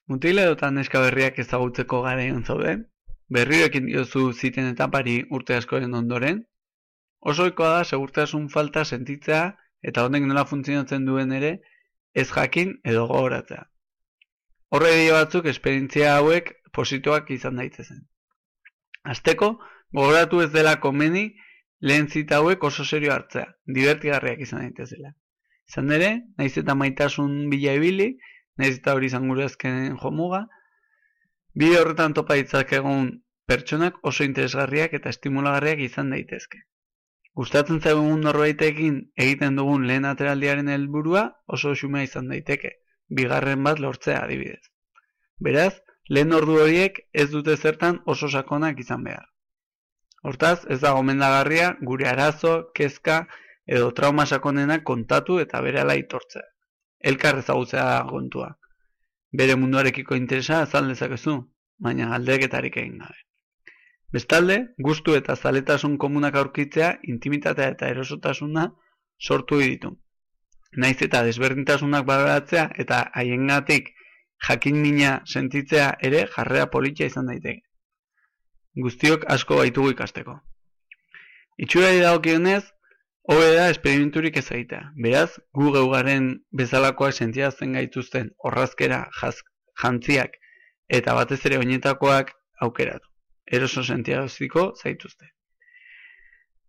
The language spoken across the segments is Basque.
Mutila edota neska berriak ezagutzeko garaian zaude, berriro ekin diozu ziten etapari urte askoren ondoren, oso ohikoa da segurtasun falta sentitzea eta honek nola funtzionatzen duen ere ez jakin edo gogoratzea. Horre dio batzuk esperientzia hauek positiboak izan daitezen. Hasteko, gogoratu ez dela komeni lehen zita hauek oso serio hartzea, divertigarriak izan daitezela. Izan ere, naiz eta maitasun bila ibili, naiz eta hori izan gure azkenen jomuga, bide horretan topa ditzakegun pertsonak oso interesgarriak eta estimulagarriak izan daitezke. Gustatzen zaigun norbaitekin egiten dugun lehen ateraldiaren helburua oso xumea izan daiteke, bigarren bat lortzea adibidez. Beraz, lehen ordu horiek ez dute zertan oso sakonak izan behar. Hortaz, ez da gomendagarria gure arazo, kezka edo trauma sakonenak kontatu eta berehala aitortzea. Elkar ezagutzea da kontua. Bere munduarekiko interesa azal dezakezu, baina galdeketarik egin gabe. Bestalde, gustu eta zaletasun komunak aurkitzea, intimitatea eta erosotasuna sortu ditu. Naiz eta desberdintasunak baloratzea eta haiengatik jakin mina sentitzea ere jarrera politia izan daiteke. Guztiok asko baitugu ikasteko. Itxurari dagokionez, hobe da esperimenturik ez egitea. Beraz, gu geugaren bezalakoak sentiatzen gaituzten orrazkera, jantziak eta batez ere oinetakoak aukeratu. Eroso sentiaraziko zaituzte.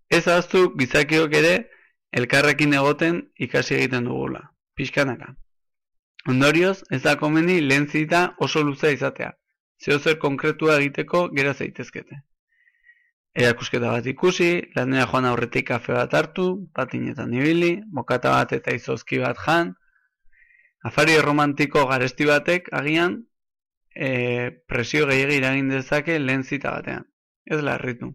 Ez ahaztu gizakiok ere elkarrekin egoten ikasi egiten dugula, pixkanaka. Ondorioz, ez da komeni lehen zita oso luzea izatea, zeozer konkretua egiteko gera zaitezkete. Erakusketa bat ikusi, lanera joan aurretik kafe bat hartu, patinetan ibili, bokata bat eta izozki bat jan, afari romantiko garesti batek agian presio gehiegi iragin dezake lehen zita batean. Ez larritu.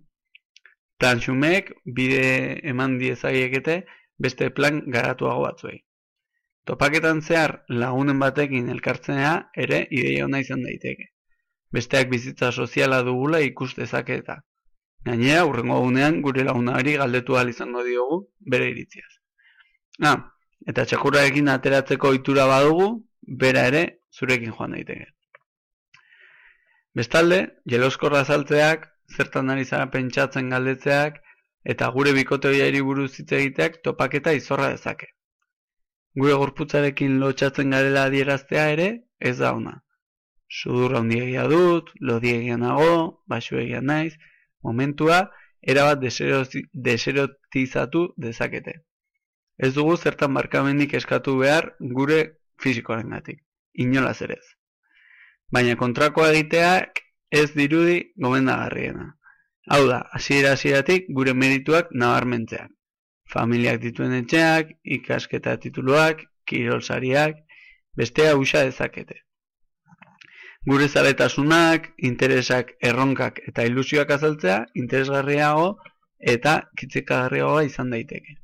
Plan xumeek bide eman diezaiekete beste plan garatuago batzuei. Topaketan zehar lagunen batekin elkartzenea ere ideia ona izan daiteke. Besteak bizitza soziala dugula ikus dezake eta. Gainera, hurrengo egunean gure lagunari galdetu ahal izango diogu bere iritziaz. Eta txakurarekin ateratzeko ohitura badugu, bera ere zurekin joan daiteke. Bestalde, jeloskorra azaltzeak, zertan ari zara pentsatzen galdetzeak, eta gure bikote horiari buruz hitz egiteak topaketa izorra dezake. Gure gorputzarekin lotsatzen garela adieraztea ere, ez da ona. Sudurra handiegia dut, lodiegia nago, baxuegia naiz, momentua erabat deserotizatu dezakete. Ez dugu zertan barkamenik eskatu behar gure fisikoarengatik, inolaz ere ez. Baina kontrakoa egiteak ez dirudi gomendagarriena. Hau da, hasieratik gure merituak nabarmentzeak. Familiak dituen etxeak, ikasketa tituluak, kirolsariak, bestea usa dezakete. Gure zaletasunak, interesak, erronkak eta ilusioak azaltzea interesgarriago eta kitzikagarriagoa izan daiteke.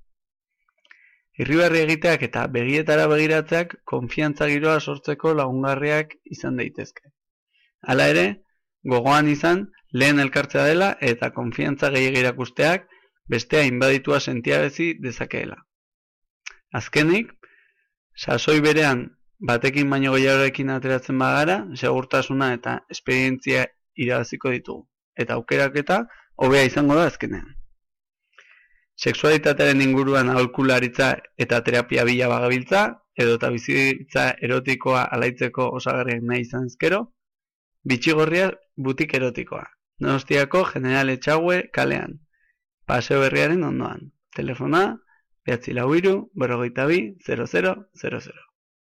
Irribarri egiteak eta begietara begiratzeak konfiantza giroa sortzeko lagungarriak izan daitezke. Hala ere, gogoan izan lehen elkartzea dela eta konfiantza gehiago erakusteak bestea inbaditua sentiarazi dezakeela. Azkenik, sasoi berean batekin baino gehiagorekin ateratzen bagara, segurtasuna eta esperientzia irabaziko ditugu. Eta aukeraketa hobea izango da azkenean. Sexualitatearen inguruan aholkularitza eta terapia bila bagabiltza, edota bizitza erotikoa alaitzeko osagarriak nahi izan ezkero, Bitxigorria butik erotikoa. Donostiako General Etxaue kalean. Paseo berriaren ondoan. Telefona 943 42 0000.